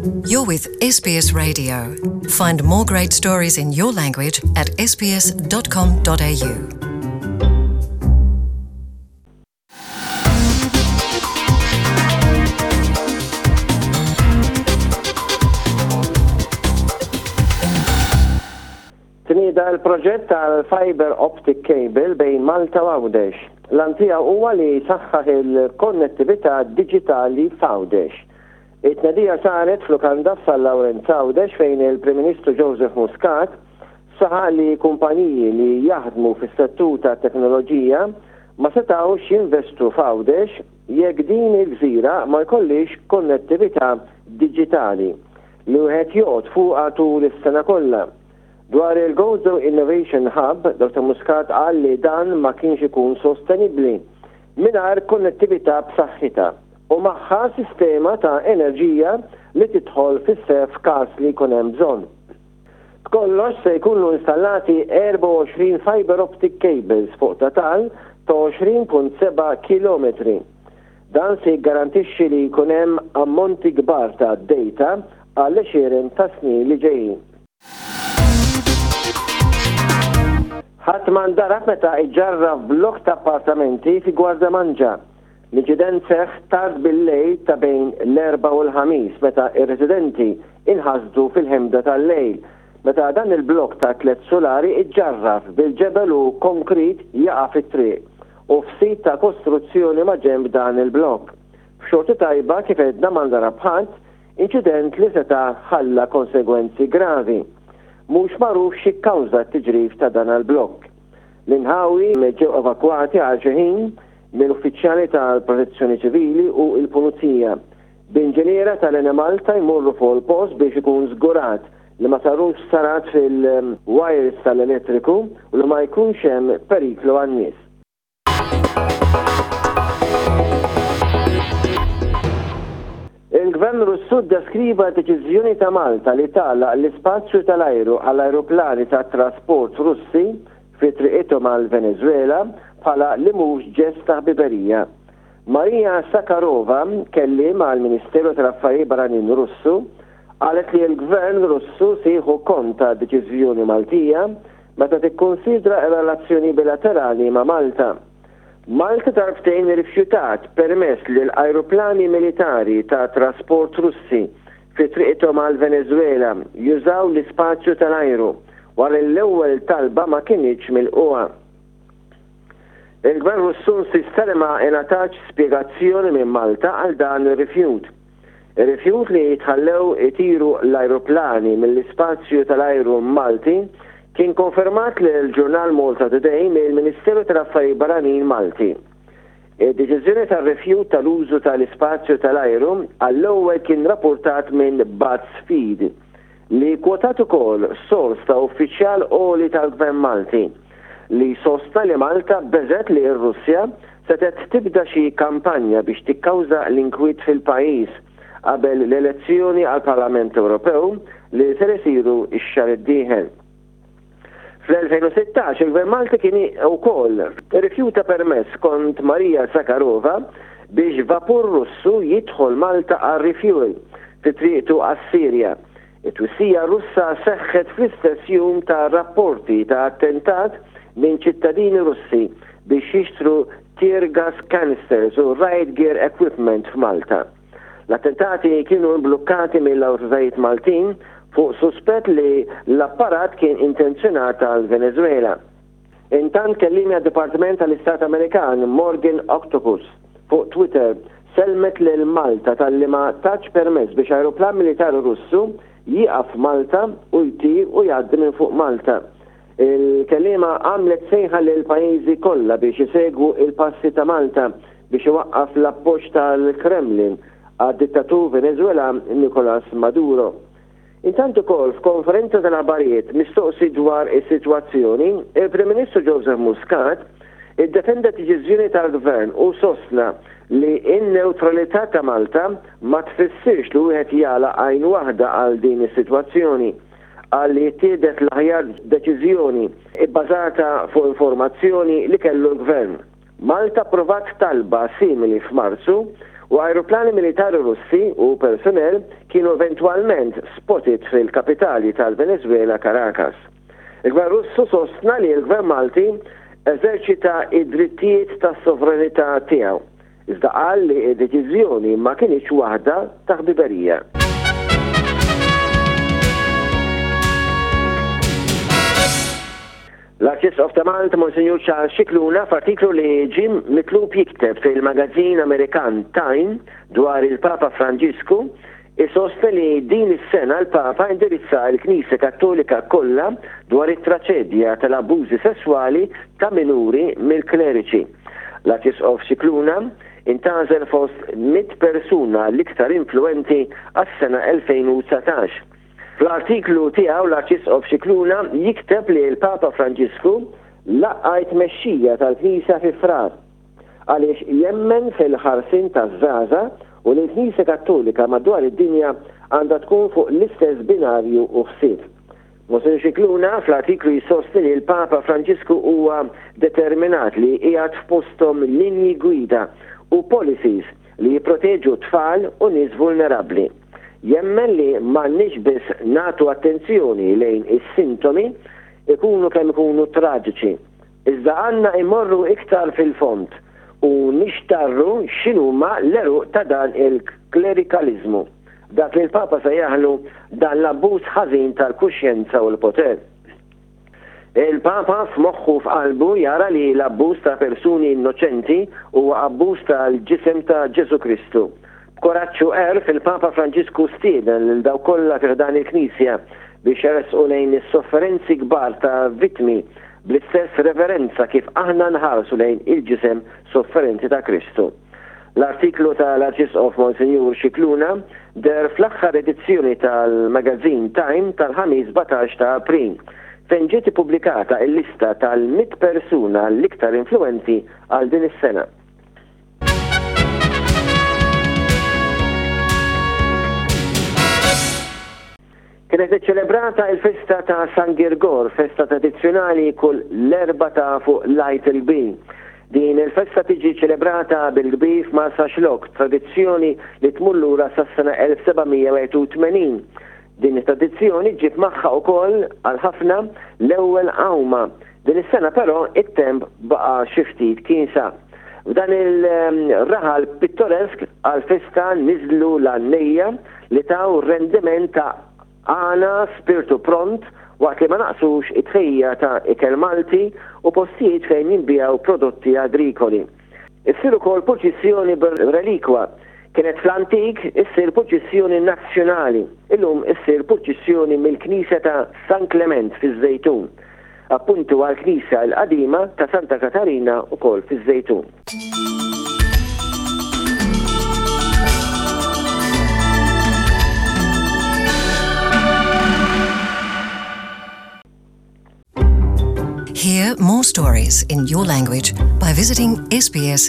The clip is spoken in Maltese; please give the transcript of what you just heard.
You're with SBS Radio. Find more great stories in your language at sbs.com.au. Tnieda l-proġett tal-fiber optic cable bejn Malta u Għawdex. L-għan tiegħu huwa li jsaħħaħ il-konnettività diġitali f'Għawdex. It-tnedija saret f'lukanda f'San Lawrenz Għawdex fejn il-Prim Ministru Joseph Muscat saħaq li kumpaniji li jaħdmu fis-settur tat-teknoloġija ma setgħux jinvestu f'Għawdex jekk din il-gżira ma jkollhiex konnettività diġitali li wieħed joqgħod fuqha tul is-sena kollha. Dwar il-Gozo Innovation Hub, Dottor Muscat qal li dan ma kienx ikun sostenibbli mingħajr konnettività b'saħħitha u magħha sistema ta' enerġija li tidħol fis-seħħ f'każ li jkun hemm bżonn. B'kollox se jkunu installati 24 fibre optic cables fuq total ta' 20.7 kilometri. Dan se jiggarantixxi li jkun hemm ammonti kbar ta' data għall-għexieren ta' snin li ġejjin. Ħadd ma ndarab meta iġġarraf blokk ta' appartamenti fi Gwardamanġa. L-inċident seħħ tard bil-lejl ta' bejn l-Erbgħa u l-Ħamis meta r-residenti inħasdu fil-ħemda tal-lejl meta dan il-blokk ta' tlett sulari iġġarraf bil-ġebel u konkrit jaqa' fit-triq u f'sit ta' kostruzzjoni maġenb dan il-blokk. B'xorti tajba kif għedna ma ndarab ħadd, inċident li seta' ħalla konsegwenzi gravi. Mhux magħruf xi kkawża t-tiġrif ta' dan l-blokk. L-inħawi ġew evakwati għal xi ħin minn uffiċjali tal-Protezzjoni Ċivili u l-Pulizija, b'inġiniera tal-Enemalta jmorru fuq il-post biex ikun żgurat li ma sarux ħsarat fil-wires tal-elettriku u li ma jkunx hemm periklu għan-nies. Il-Gvern Russu ddeskriva d-deċiżjoni ta' Malta li tagħlaq l-ispazju tal-ajru għall-ajruplani tat-trasport Russi fi triqithom għall-Veneżwela bħala li mhux ġest ta' ħbiberija. Maria Sakharova, kelliem għall-Ministeru tal-Affarijiet Barranin Russu, qalet li l-Gvern Russu se jieħu kont tad-deċiżjoni Maltija meta tikkunsidra r-relazzjoni bilaterali ma' Malta. Malta darbtejn irrifjutat permess lil ajruplani militari ta' trasport Russi fi triqithom għall-Veneżwela jużaw l-ispazju tal-ajru wara li l-ewwel talba ma kinitx milqugħa. Il-Gvern Russu insista li ma ingħatatx spjegazzjoni minn Malta għal dan ir-rifjut. Ir-rifjut li jitħallew itiru l-ajruplani mill-ispazju tal-ajru Malti kien konfermat lill-ġurnal Malta Today mill-Ministeru tal-Affarijiet Barranin Malti. Id-deċiżjoni tar-rifjut tal-użu tal-ispazju tal-ajru għall-ewwel kien rappurtat minn BuzzFeed, li kkwotat ukoll sors ta' uffiċjal għoli tal-Gvern Malti li sostna li Malta beżgħet li r-Russja setgħet tibda xi kampanja biex tikkawża l-inkwiet fil-pajjiż qabel l-elezzjoni għall-Parlament Ewropew li ser isiru x-xahar id-dieħel. Fl-2016 il-Gvern Malti kien ukoll irrifjuta permess skont Maria Zakharova biex vapur Russu jidħol Malta għar-refuel fi triqtu għas-Sirja. It-twissija Russa seħħet fl-istess jum ta' rapporti ta' attentat minn ċittadini Russi biex jixtru tear gas canisters u riot gear equipment f'Malta. L-attentati kienu imblukkati mill-awtoritajiet Maltin fuq suspett li l-apparat kien intenzjonat għall-Veneżwela. Intant kelliemi għad-Dipartiment tal-Istat Amerikan Morgan Octopus fuq Twitter sellmet lil Malta talli ma tatx permess biex ajruplan militari Russu jieqaf f'Malta u jtir u jgħaddi minn fuq Malta. Il-kelliema għamlet sejħa lill-pajjiżi kollha biex isegwu l-passi ta' Malta biex iwaqqaf l-appoġġ tal-Kremlin għad-dittatur Veneżwelan Nicolas Maduro. Intant ukoll f'konferenza tal-aħbarijiet mistoqsi dwar is-sitwazzjoni, il-Prim Ministru Joseph Muscat iddefenda d-deċiżjoni tal-Gvern u sostna li n-newtralità ta' Malta ma tfissirx li wieħed jagħlaq għajn waħda għal din is-sitwazzjoni. Qal li ttieħdet l-aħjar deċiżjoni bbażata fuq informazzjoni li kellu l-Gvern. Malta approvat talba simili f'Marzu U ajruplani militari Russi u personnel kienu eventwalment spotted fil-kapitali tal-Venezuela Caracas. Il-Gvern Russu sostna li l-Gvern Malti eżerċita id-drittijiet tas-sovranità tiegħu, iżda qal li d-deċiżjoni ma kinitx waħda ta' ħbiberija. L-Arċisqof ta' Malta Monsinjur Charles Scicluna f'artiklu li ġie mitlub jikteb fil-magazzin Amerikan Time dwar il-Papa Franġisku isostni li din is-sena l-Papa indirizza l-Knisja Kattolika kollha dwar it-traċedja tal-abbużi sesswali ta' minuri mill-kleriċi. L-Arċisqof Scicluna intgħażel fost 100 persuna l-iktar influwenti għas-sena 2019. Fl-artiklu tiegħu l-Arċisqof Scicluna jikteb li l-Papa Franġisku laqqa' t-tmexxija tal-Knisja fi Frar għaliex jemmen fil-ħarsien taż-żgħażagħ u li l-Knisja Kattolika madwar id-dinja għandha tkun fuq l-istess binarju u ħsieb. Monsinjur Scicluna fl-artiklu jsostni li l-Papa Franġisku huwa determinat li jqiegħed f'posthom linji gwida u policies li jipproteġu tfal u nies vulnerabbli. Jemmen li m'għandniex biss nagħtu attenzjoni lejn is-sintomi, ikunu kemm ikunu traġiċi, iżda għandna immorru iktar fil-fond u nixtarru x'inhuma l-għeruq ta' dan il-klerikaliżmu, dak li l-Papa sejjaħlu dan l-abbuż ħażin tal-kuxjenza u l-poter. Il-Papa f'moħħu u f'qalbu jara li l-abbuż ta' persuni innoċenti huwa abbuż tal-ġisem ta' Ġesù Kristu. B'kuraġġ u għerf il-Papa Franġisku stieden lil dawk kollha fi ħdan il-Knisja biex jersqu lejn is-sofferenzi kbar ta' vittmi bl-istess reverenza kif aħna nħarsu lejn il-ġisem sofferenti ta' Kristu. L-artiklu tal-Arċisqof Monsinjur Scicluna deher fl-aħħar edizzjoni tal-magazine Time tal-Ħamis 17 ta' April, fejn ġiet ippubblikata l-lista tal-100 persuna l-iktar influwenti għal din is-sena. Kienet iċċelebrata il-festa ta' San Girgor, festa tradizzjonali kull l-Erbgħa ta' fuq l-Għid il-Kbir. Din il-festa tiġi ċelebrata bil-kbir f'Marsaxlokk, tradizzjoni li tmur lura sas-sena 1781. Din it-tradizzjoni ġġib magħha ukoll għal ħafna l-ewwel għawma. Din is-sena però it-temp baqa' xi ftit kiesa. F'dan il-raħal pittoresk għall-festa niżlu l-għannejja li taw rendiment ta' għana, spirtu pront waqt li ma naqsux it-tħejjija ta' ikel Malti u postijiet fejn jinbiegħu prodotti agrikoli. Issir ukoll purċissjoni bir-relikwa. Kienet fl-antik issir purċissjoni nazzjonali, illum issir purċissjoni mill-knisja ta' San Klement fiż-Żejtun. Appuntu għall-knisja l-qadima ta' Santa Katarina wkoll fiż-Żejtun. Hear more stories in your language by visiting sbs.com.au.